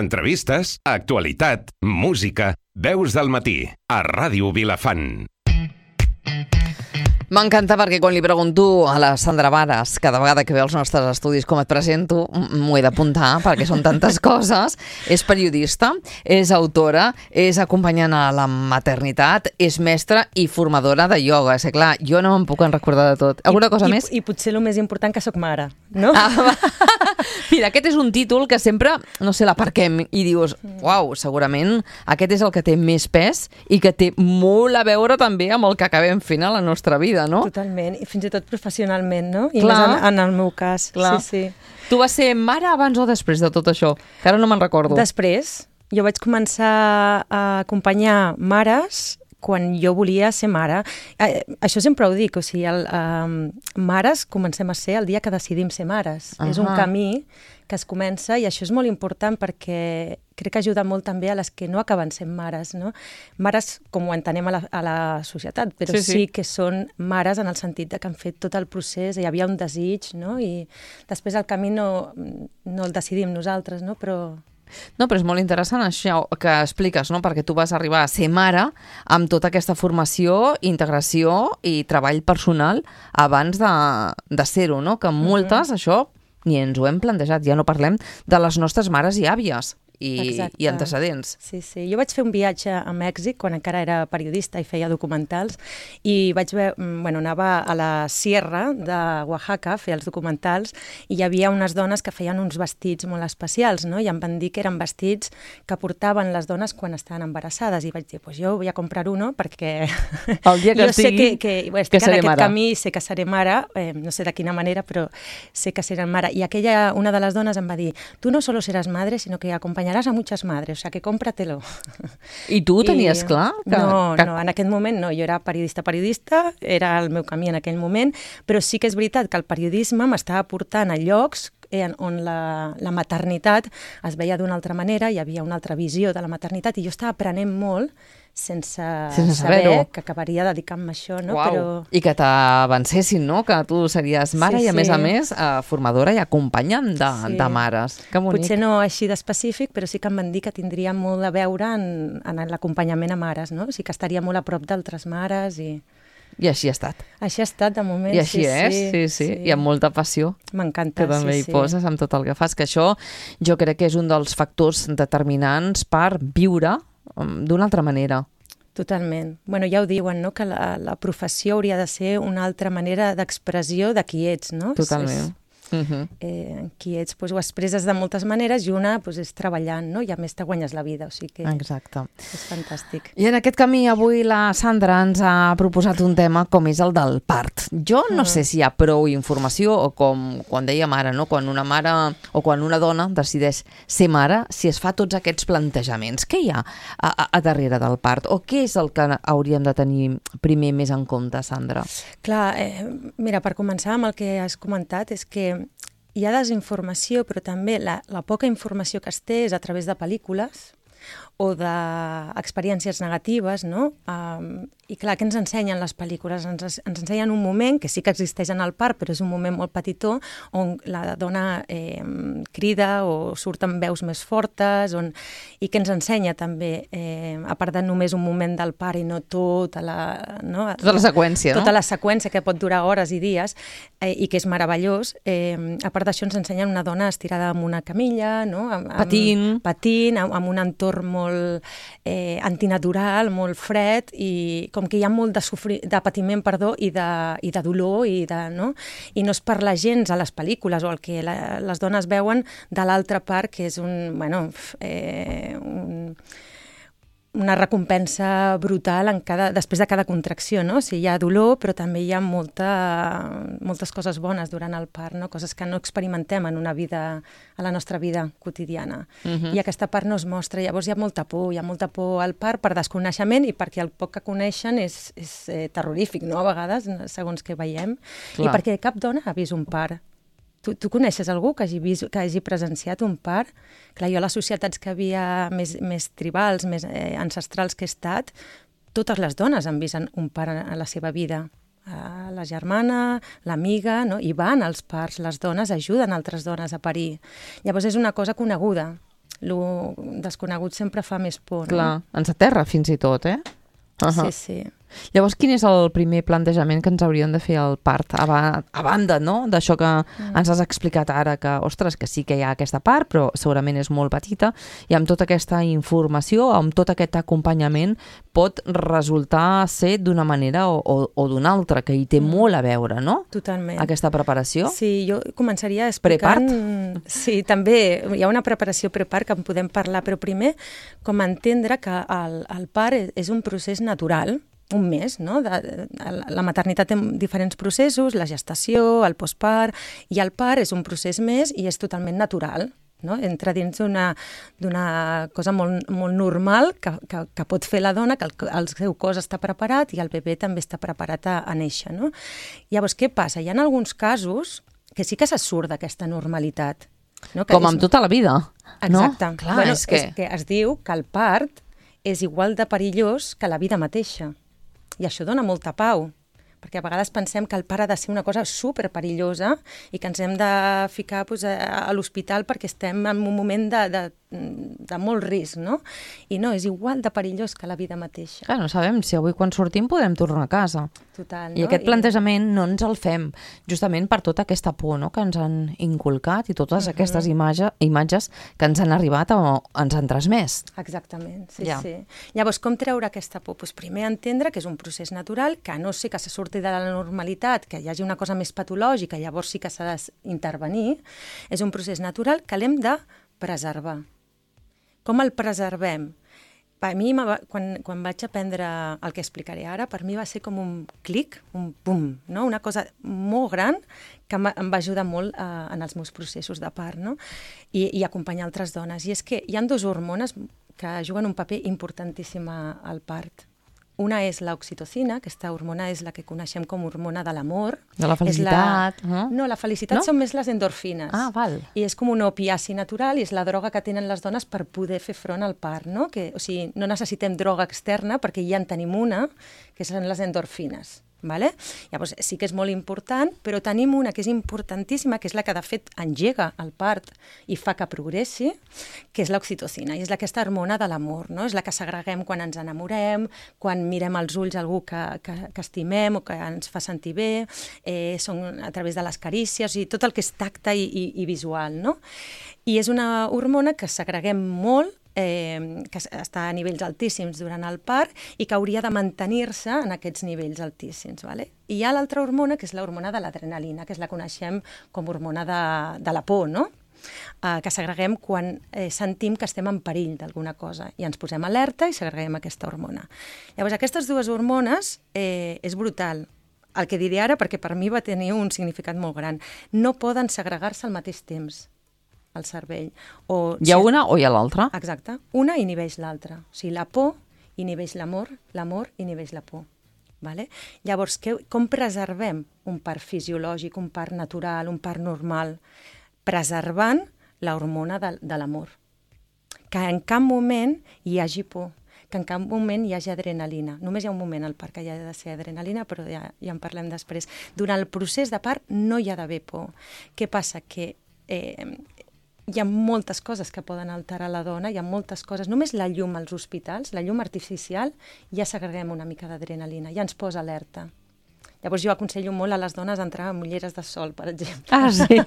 entrevistes, actualitat, música, veus del matí, a Ràdio Vilafant. M'encanta perquè quan li pregunto a la Sandra Varas, cada vegada que ve als nostres estudis com et presento, m'ho he d'apuntar perquè són tantes coses. És periodista, és autora, és acompanyant a la maternitat, és mestra i formadora de ioga. És clar, jo no me'n puc recordar de tot. Alguna cosa més? I potser el més important que sóc mare, no? Mira, aquest és un títol que sempre, no sé, l'aparquem i dius, uau, segurament aquest és el que té més pes i que té molt a veure també amb el que acabem fent a la nostra vida, no? Totalment, i fins i tot professionalment, no? I clar, més en el meu cas. Clar. Sí. Tu vas ser mare abans o després de tot això? Que ara no me'n recordo. Després. Jo vaig començar a acompanyar mares quan jo volia ser mare. Això sempre ho dic, o sigui, mares comencem a ser el dia que decidim ser mares. És un camí que es comença i això és molt important perquè crec que ajuda molt també a les que no acaben sent mares, no? Mares com ho entenem a la societat, però sí que són mares en el sentit de que han fet tot el procés, hi havia un desig, no? I després el camí no el decidim nosaltres, no? Però és molt interessant això que expliques, no? Perquè tu vas arribar a ser mare amb tota aquesta formació, integració i treball personal abans de ser-ho, no? Que moltes, això, ni ens ho hem plantejat, ja no parlem de les nostres mares i àvies i antecedents. Sí. Jo vaig fer un viatge a Mèxic quan encara era periodista i feia documentals i vaig anava a la Sierra de Oaxaca a fer els documentals i hi havia unes dones que feien uns vestits molt especials, no? I em van dir que eren vestits que portaven les dones quan estaven embarassades i vaig dir, pues jo vull a comprar uno perquè el dia que jo sé que estic en aquest camí, sé que seré mare, no sé de quina manera, però sé que seré mare. I una de les dones em va dir, tu no solo seràs madre, sino que acompanyaràs a muchas madres, o sea que cómpratelo. I tu ho tenies clar? No, en aquest moment no, jo era periodista, era el meu camí en aquell moment, però sí que és veritat que el periodisme m'estava portant a llocs on la maternitat es veia d'una altra manera, hi havia una altra visió de la maternitat i jo estava aprenent molt sense saber que acabaria dedicant-me a això, no? Però I que t'avancessin, no? Que tu series mare i a més formadora i acompanyant de mares. Que bonic. Potser no així d'específic, però sí que em van dir que tindria molt a veure en l'acompanyament a mares, no? O sigui que estaria molt a prop d'altres mares i així ha estat. Així ha estat, de moment. I així és. I amb molta passió. M'encanta, que també hi poses amb tot el que fas, que això jo crec que és un dels factors determinants per viure d'una altra manera. Totalment. Bueno, ja ho diuen, no?, que la professió hauria de ser una altra manera d'expressió de qui ets, no? Totalment. Qui ets, ho expresses de moltes maneres i una és treballant, no? I a més te guanyes la vida, o sigui que exacte. És fantàstic. I en aquest camí avui la Sandra ens ha proposat un tema com és el del part. Jo no sé si hi ha prou informació o com quan dèiem ara, no? Quan una mare o quan una dona decideix ser mare, si es fa tots aquests plantejaments. Què hi ha a darrere del part? O què és el que hauríem de tenir primer més en compte, Sandra? Clar, mira, per començar amb el que has comentat és que hi ha desinformació, però també la poca informació que es té és a través de pel·lícules o d'experiències negatives, no? I clar, què ens ensenyen les pel·lícules? Ens ensenyen un moment, que sí que existeix en el part, però és un moment molt petitó, on la dona crida o surten veus més fortes, i que ens ensenya també, a part de només un moment del part i no tota la seqüència, no? Tota la seqüència, que pot durar hores i dies, i que és meravellós. A part d'això ens ensenyen una dona estirada en una camilla, no? Patint, amb un entorn molt antinatural, molt fred, i com que hi ha molt de patiment, i de dolor, i no es parla gens a les pel·lícules o el que les dones veuen de l'altra part, que és una recompensa brutal després de cada contracció, no? O sigui, hi ha dolor, però també hi ha moltes coses bones durant el part, no? Coses que no experimentem a la nostra vida quotidiana. I aquesta part no es mostra, llavors hi ha molta por al part per desconeixement i perquè el poc que coneixen és terrorífic, no? A vegades, segons què veiem, i perquè cap dona ha vist un part. Tu coneixes algú que hagi presenciat un part? Clar, jo a les societats que havia més tribals, més ancestrals que he estat, totes les dones han vist un part a la seva vida. La germana, l'amiga, no? I van als parts, les dones ajuden altres dones a parir. Llavors és una cosa coneguda. Lo desconegut sempre fa més por, no? Clar, ens aterra fins i tot, eh? Sí, sí. Llavors, quin és el primer plantejament que ens hauríem de fer al part? A banda, no?, d'això que ens has explicat ara, que, ostres, que sí que hi ha aquesta part, però segurament és molt petita, i amb tota aquesta informació, amb tot aquest acompanyament, pot resultar ser d'una manera o d'una altra, que hi té molt a veure, no? Totalment. Aquesta preparació. Sí, jo començaria explicant... Prepart? Sí, també hi ha una preparació prepart que en podem parlar, però primer com entendre que el part és un procés natural, un mes, no? La maternitat té diferents processos, la gestació, el postpart, i el part és un procés més i és totalment natural, no? Entra dins d'una cosa molt normal que pot fer la dona, que el seu cos està preparat i el bebè també està preparat a néixer, no? Llavors, què passa? Hi ha alguns casos que sí que se surt d'aquesta normalitat. No? Com amb tota la vida, no? Exacte. Clar, bueno, és que es diu que el part és igual de perillós que la vida mateixa. I això dona molta pau, perquè a vegades pensem que el part ha de ser una cosa superperillosa i que ens hem de ficar a l'hospital perquè estem en un moment de molt risc, no? I no, és igual de perillós que la vida mateixa. clar, no sabem si avui quan sortim podem tornar a casa. Total, no? I aquest plantejament no ens el fem justament per tota aquesta por, no?, que ens han inculcat i totes aquestes imatges que ens han arribat o ens han transmès. Exactament, sí, Ja. sí. Llavors, com treure aquesta por? Pues primer entendre que és un procés natural, que a no ser que se surti de la normalitat, que hi hagi una cosa més patològica, llavors sí que s'ha d'intervenir, és un procés natural que l'hem de preservar. Com el preservem? Per mi, quan vaig aprendre el que explicaré ara, per mi va ser com un clic, un pum, no? Una cosa molt gran que em va ajudar molt en els meus processos de part, no? I acompanyar altres dones. I és que hi ha dues hormones que juguen un paper importantíssim al part. Una és l'oxitocina, aquesta hormona és la que coneixem com hormona de l'amor. De la felicitat. No, la felicitat són més les endorfines. Ah, val. I és com un opiaci natural i és la droga que tenen les dones per poder fer front al part, no? O sigui, no necessitem droga externa perquè ja en tenim una, que són les endorfines. Vale? Llavors, sí que és molt important, però tenim una que és importantíssima, que és la que de fet engega el part i fa que progressi, que és l'oxitocina, i és aquesta hormona de l'amor, no? És la que segreguem quan ens enamorem, quan mirem als ulls algú que estimem o que ens fa sentir bé, són a través de les carícies, i tot el que és tacte i visual, no? I és una hormona que segreguem molt, que està a nivells altíssims durant el part i que hauria de mantenir-se en aquests nivells altíssims. Vale? I hi ha l'altra hormona, que és l'hormona de l'adrenalina, que és la coneixem com hormona de la por, no? Que segreguem quan sentim que estem en perill d'alguna cosa i ens posem alerta i segreguem aquesta hormona. Llavors, aquestes dues hormones és brutal. El que diré ara, perquè per mi va tenir un significat molt gran. No poden segregar-se al mateix temps al cervell. Hi ha una o hi ha l'altra? Exacte. Una inhibeix l'altra. O sigui, la por inhibeix l'amor, l'amor inhibeix la por. Vale? Llavors, com preservem un part fisiològic, un part natural, un part normal? Preservant l'hormona de l'amor. Que en cap moment hi hagi por, que en cap moment hi hagi adrenalina. Només hi ha un moment al part que hi ha de ser adrenalina, però ja en parlem després. Durant el procés de part no hi ha d'haver por. Què passa? Que hi ha moltes coses que poden alterar la dona, hi ha moltes coses. Només la llum als hospitals, la llum artificial, ja segreguem una mica d'adrenalina, ja ens posa alerta. Llavors jo aconsello molt a les dones entrar amb ulleres de sol, per exemple. Ah, sí?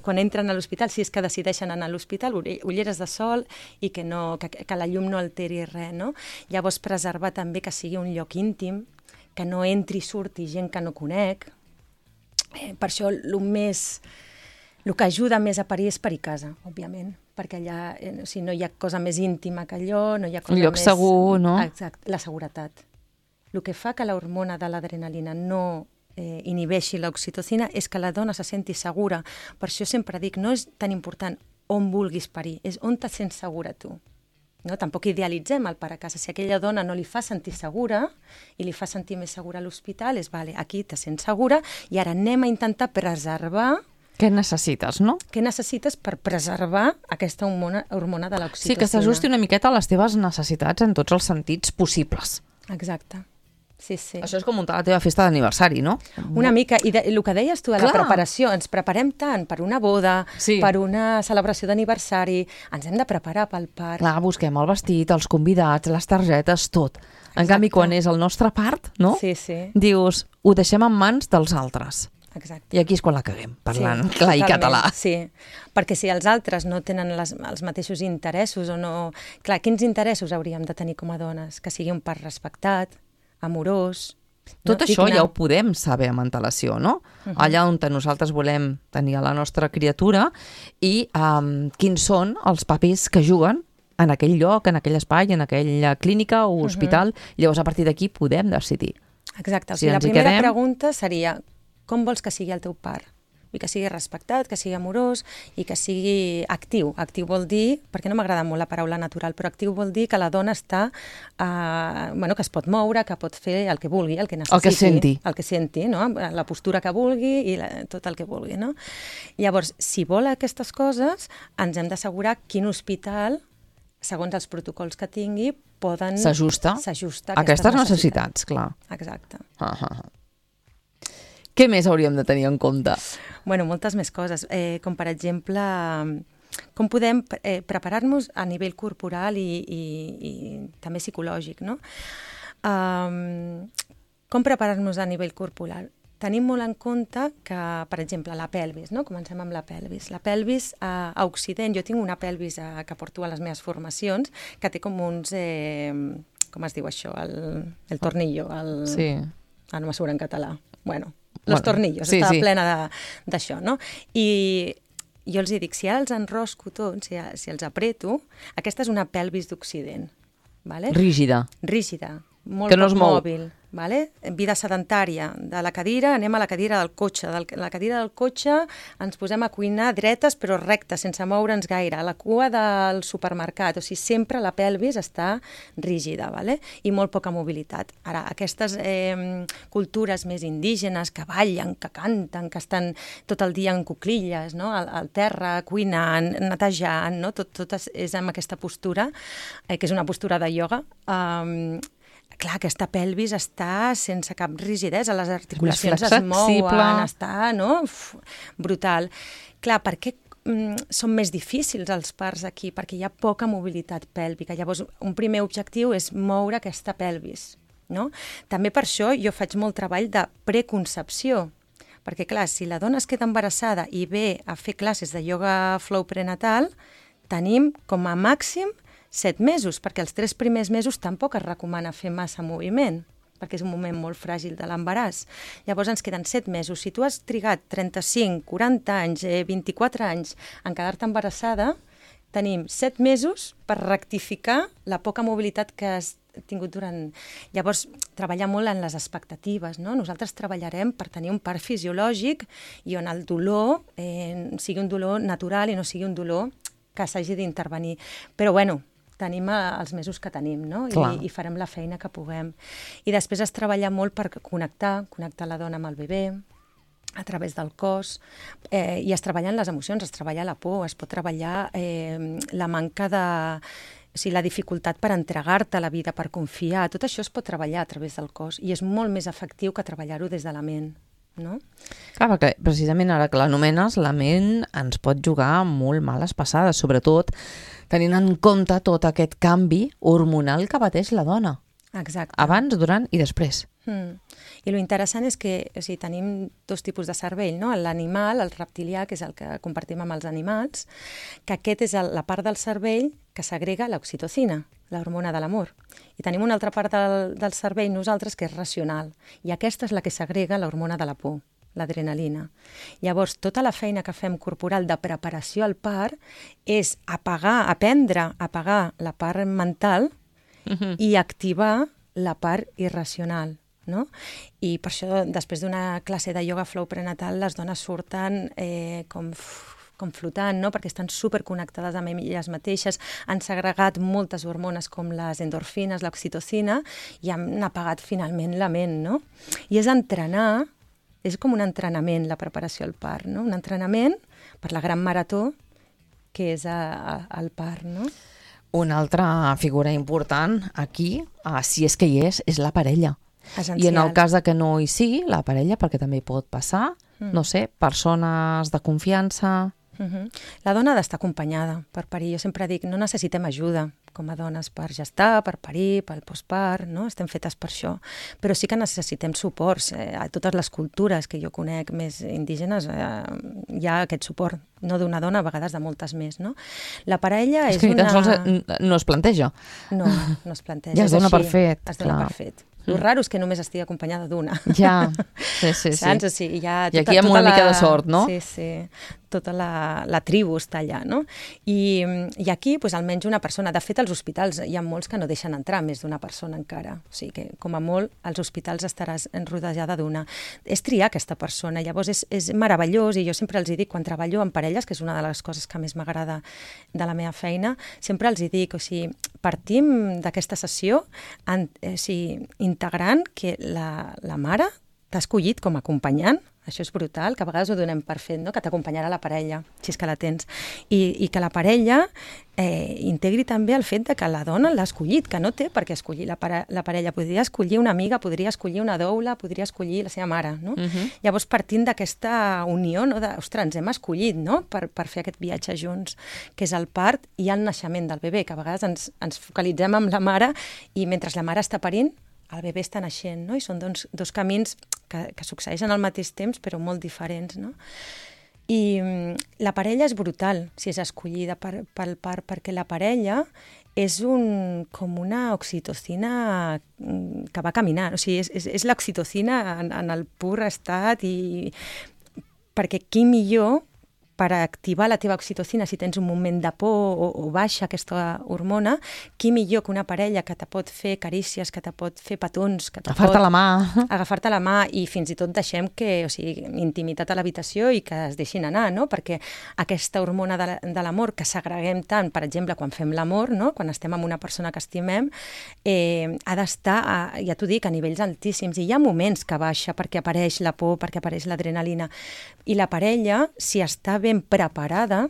Quan entren a l'hospital, si és que decideixen anar a l'hospital, ulleres de sol i que la llum no alteri res, no? Llavors preservar també que sigui un lloc íntim, que no entri i surti gent que no conec. Per això el que ajuda més a parir és parir a casa, òbviament, perquè allà no hi ha cosa més íntima que allò, no hi ha cosa més... Un lloc segur, no? Exacte, la seguretat. El que fa que l'hormona de l'adrenalina no inhibeixi l'oxitocina és que la dona se senti segura. Per això sempre dic, no és tan important on vulguis parir, és on te sents segura tu. No? Tampoc idealitzem el part a casa. Si aquella dona no li fa sentir segura i li fa sentir més segura a l'hospital, és vale, aquí te sents segura i ara anem a intentar preservar. Què necessites, no? Què necessites per preservar aquesta hormona de l'oxitocina? Sí, que s'ajusti una miqueta a les teves necessitats en tots els sentits possibles. Exacte. Sí, sí. Això és com muntar la teva festa d'aniversari, no? Una mica, i el que deies tu de la Clar. preparació, ens preparem tant per una boda, Sí. per una celebració d'aniversari, ens hem de preparar pel part. Clar, busquem el vestit, els convidats, les targetes, tot. En canvi, quan és el nostre part, no? Sí, sí, Dius, ho deixem en mans dels altres. exacte. I aquí és quan la caguem, parlant Sí, clar i totalment, català. Sí, perquè si els altres no tenen els mateixos interessos o no... Clar, quins interessos hauríem de tenir com a dones? Que sigui un part respectat, amorós... Tot no? això Digne. ja ho podem saber amb antelació, no? Allà on nosaltres volem tenir a la nostra criatura i quins són els papers que juguen en aquell lloc, en aquell espai, en aquella clínica o hospital. Llavors, a partir d'aquí podem decidir. Exacte. O Si sigui, la ens hi primera quedem- pregunta seria com vols que sigui el teu part? I que sigui respectat, que sigui amorós i que sigui actiu. Actiu vol dir, perquè no m'agrada molt la paraula natural, però actiu vol dir que la dona està, que es pot moure, que pot fer el que vulgui, el que necessiti. El que senti. El que senti, no? La postura que vulgui i tot el que vulgui, no? Llavors, si vol aquestes coses, ens hem d'assegurar quin hospital, segons els protocols que tingui, poden... S'ajusta a aquestes necessitats, clar. Exacte. Què més hauríem de tenir en compte? Bueno, moltes més coses, com per exemple, com podem preparar-nos a nivell corporal i també psicològic, no? Com preparar-nos a nivell corporal? Tenim molt en compte que, per exemple, la pelvis, no? Comencem amb la pelvis. La pelvis a Occident, jo tinc una pelvis que porto a les meves formacions, que té com uns, com es diu això, el tornillo, Sí. no me surt en català. Bueno, los tornillos, sí, està sí. plena d'això, no? I jo els dic, si ara els enrosco tots, si els apreto, aquesta és una pelvis d'Occident, vale? Rígida. Rígida, molt Que no poc es mou. mòbil, vale? Vida sedentària, de la cadira anem a la cadira del cotxe, de la cadira del cotxe ens posem a cuinar dretes però rectes, sense moure'ns gaire, a la cua del supermercat, o sigui, sempre la pelvis està rígida, vale? I molt poca mobilitat. Ara, aquestes cultures més indígenes que ballen, que canten, que estan tot el dia en cuclilles, no? Al terra, cuinant, netejant, no? Tot és amb aquesta postura, que és una postura de ioga. Clar, aquesta pelvis està sense cap rigidesa, les articulacions es mouen, està, no? Brutal. Clar, per què són més difícils els parts aquí? Perquè hi ha poca mobilitat pèlvica. Llavors, un primer objectiu és moure aquesta pelvis, no? També per això jo faig molt treball de preconcepció, perquè, clar, si la dona es queda embarassada i ve a fer classes de ioga flow prenatal, tenim com a màxim 7 mesos, perquè els 3 primers mesos tampoc es recomana fer massa moviment, perquè és un moment molt fràgil de l'embaràs. Llavors ens queden 7 mesos. Si tu has trigat 35, 40 anys, 24 anys en quedar-te embarassada, tenim 7 mesos per rectificar la poca mobilitat que has tingut durant... Llavors, treballar molt en les expectatives, no? Nosaltres treballarem per tenir un part fisiològic i on el dolor sigui un dolor natural i no sigui un dolor que s'hagi d'intervenir. Però, bueno, tenim els mesos que tenim, no? I farem la feina que puguem. I després es treballa molt per connectar la dona amb el bebè, a través del cos, i es treballen les emocions, es treballa la por, es pot treballar la manca de... O sigui, la dificultat per entregar-te a la vida, per confiar, tot això es pot treballar a través del cos i és molt més efectiu que treballar-ho des de la ment, no? Clar, perquè precisament ara que l'anomenes, la ment ens pot jugar molt males passades, sobretot tenint en compte tot aquest canvi hormonal que pateix la dona. Exacte. Abans, durant i després. I lo interessant és que tenim 2 tipus de cervell, no? L'animal, el reptilià, que és el que compartim amb els animals, que aquest és la part del cervell que segrega l'oxitocina, l'hormona de l'amor. I tenim una altra part del cervell nosaltres que és racional, i aquesta és la que segrega l'hormona de la por, l'adrenalina. Llavors, tota la feina que fem corporal de preparació al part és aprendre a apagar la part mental i activar la part irracional, no? I per això, després d'una classe de ioga flow prenatal, les dones surten com flotant, no? Perquè estan superconnectades amb elles mateixes, han segregat moltes hormones com les endorfines, l'oxitocina, i han apagat finalment la ment, no? I és entrenar, és com un entrenament la preparació al part, no? Un entrenament per la gran marató que és el part, no? Una altra figura important aquí, si és que hi és la parella. Essencials. I en el cas de que no hi sigui, la parella, perquè també hi pot passar, no sé, persones de confiança... La dona ha d'estar acompanyada per parir. Jo sempre dic, no necessitem ajuda com a dones per gestar, per parir, pel postpart, no? Estem fetes per això. Però sí que necessitem suports. A totes les cultures que jo conec més indígenes hi ha aquest suport, no d'una dona, a vegades de moltes més, no? La parella és que una... tan sols no es planteja. No es planteja. Ja es dona per fet. Es dona per fet. El raro és que només estigui acompanyada d'una. Ja, sí. Saps? O sigui, I aquí hi ha una mica de sort, no? Sí. Tota la tribu està allà, no? I aquí, doncs, almenys una persona. De fet, als hospitals hi ha molts que no deixen entrar més d'una persona encara. O sigui que, com a molt, als hospitals estaràs rodejada d'una. És triar aquesta persona. Llavors, és meravellós, i jo sempre els dic, quan treballo en parelles, que és una de les coses que més m'agrada de la meva feina, sempre els dic, o sigui, partim d'aquesta sessió integrant que la mare t'ha escollit com a acompanyant. Això és brutal, que a vegades ho donem per fet, no? Que t'acompanyarà la parella, si és que la tens. I que la parella integri també el fet de que la dona l'ha escollit, que no té per què escollir la parella. Podria escollir una amiga, podria escollir una doula, podria escollir la seva mare, no? Llavors, partint d'aquesta unió, no? Ostres, ens hem escollit, no? Per fer aquest viatge junts, que és el part i el naixement del bebè, que a vegades ens focalitzem amb la mare i mentre la mare està parint, el bebè està naixent, no? I són dos camins que succeeixen al mateix temps, però molt diferents, no? I la parella és brutal, si és escollida pel part, perquè la parella és com una oxitocina que va caminant, o sigui, és l'oxitocina en el pur estat, i perquè qui millor per activar la teva oxitocina si tens un moment de por o baixa aquesta hormona, qui millor que una parella que te pot fer carícies, que te pot fer petons, que te agafar-te la mà. Agafar-te la mà i fins i tot deixem que, o sigui, intimitat a l'habitació i que es deixin anar, no? Perquè aquesta hormona de l'amor que segreguem tant, per exemple, quan fem l'amor, no? Quan estem amb una persona que estimem, ha d'estar, ja t'ho dic, a nivells altíssims. I hi ha moments que baixa perquè apareix la por, perquè apareix l'adrenalina. I la parella, si està ben preparada,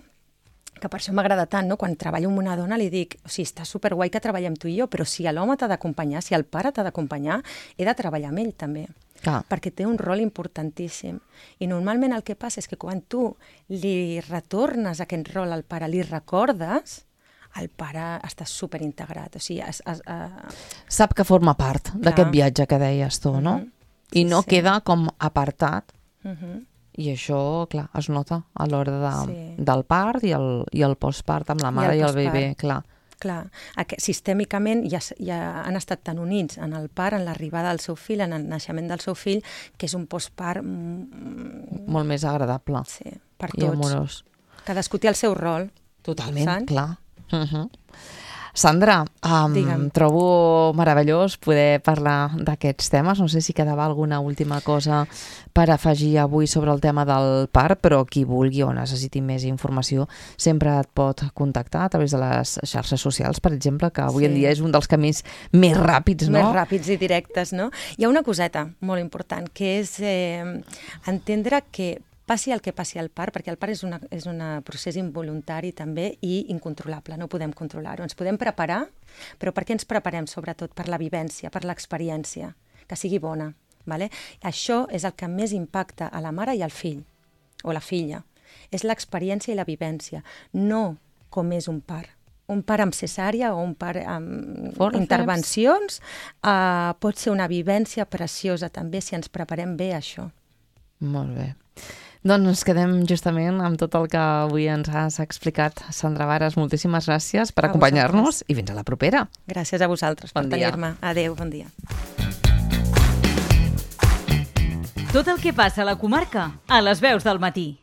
que per això m'agrada tant, no? Quan treballo amb una dona li dic, o sigui, està superguai que treballem tu i jo, però si l'home t'ha d'acompanyar, si el pare t'ha d'acompanyar, he de treballar amb ell també. Perquè té un rol importantíssim. I normalment el que passa és que quan tu li retornes aquest rol al pare, li recordes, el pare està superintegrat. O sigui, sap que forma part d'aquest viatge que deies tu, no? I no queda com apartat. I això, clar, es nota a l'hora del part i el postpart amb la mare i el bebè, clar. Clar, sistèmicament ja han estat tan units en el part, en l'arribada del seu fill, en el naixement del seu fill, que és un postpart molt més agradable. Sí, per tots. I amorós. Cadascú té el seu rol. Totalment, clar. Sandra, trobo meravellós poder parlar d'aquests temes. No sé si quedava alguna última cosa per afegir avui sobre el tema del part, però qui vulgui o necessiti més informació sempre et pot contactar a través de les xarxes socials, per exemple, que avui en dia és un dels camins més ràpids, no? Més ràpids i directes, no? Hi ha una coseta molt important, que és entendre que passi el que passi al part, perquè el part és un procés involuntari també i incontrolable, no podem controlar-ho. Ens podem preparar, però per què ens preparem? Sobretot per la vivència, per l'experiència, que sigui bona. Vale? Això és el que més impacta a la mare i al fill, o la filla. És l'experiència i la vivència, no com és un part. Un part amb cesària o un part amb intervencions pot ser una vivència preciosa també si ens preparem bé a això. Molt bé. Doncs ens quedem justament amb tot el que avui ens has explicat. Sandra Vares, moltíssimes gràcies per acompanyar-nos i fins a la propera. Gràcies a vosaltres per tenir-me. Adéu, bon dia. Tot el que passa a la comarca, a les veus del matí.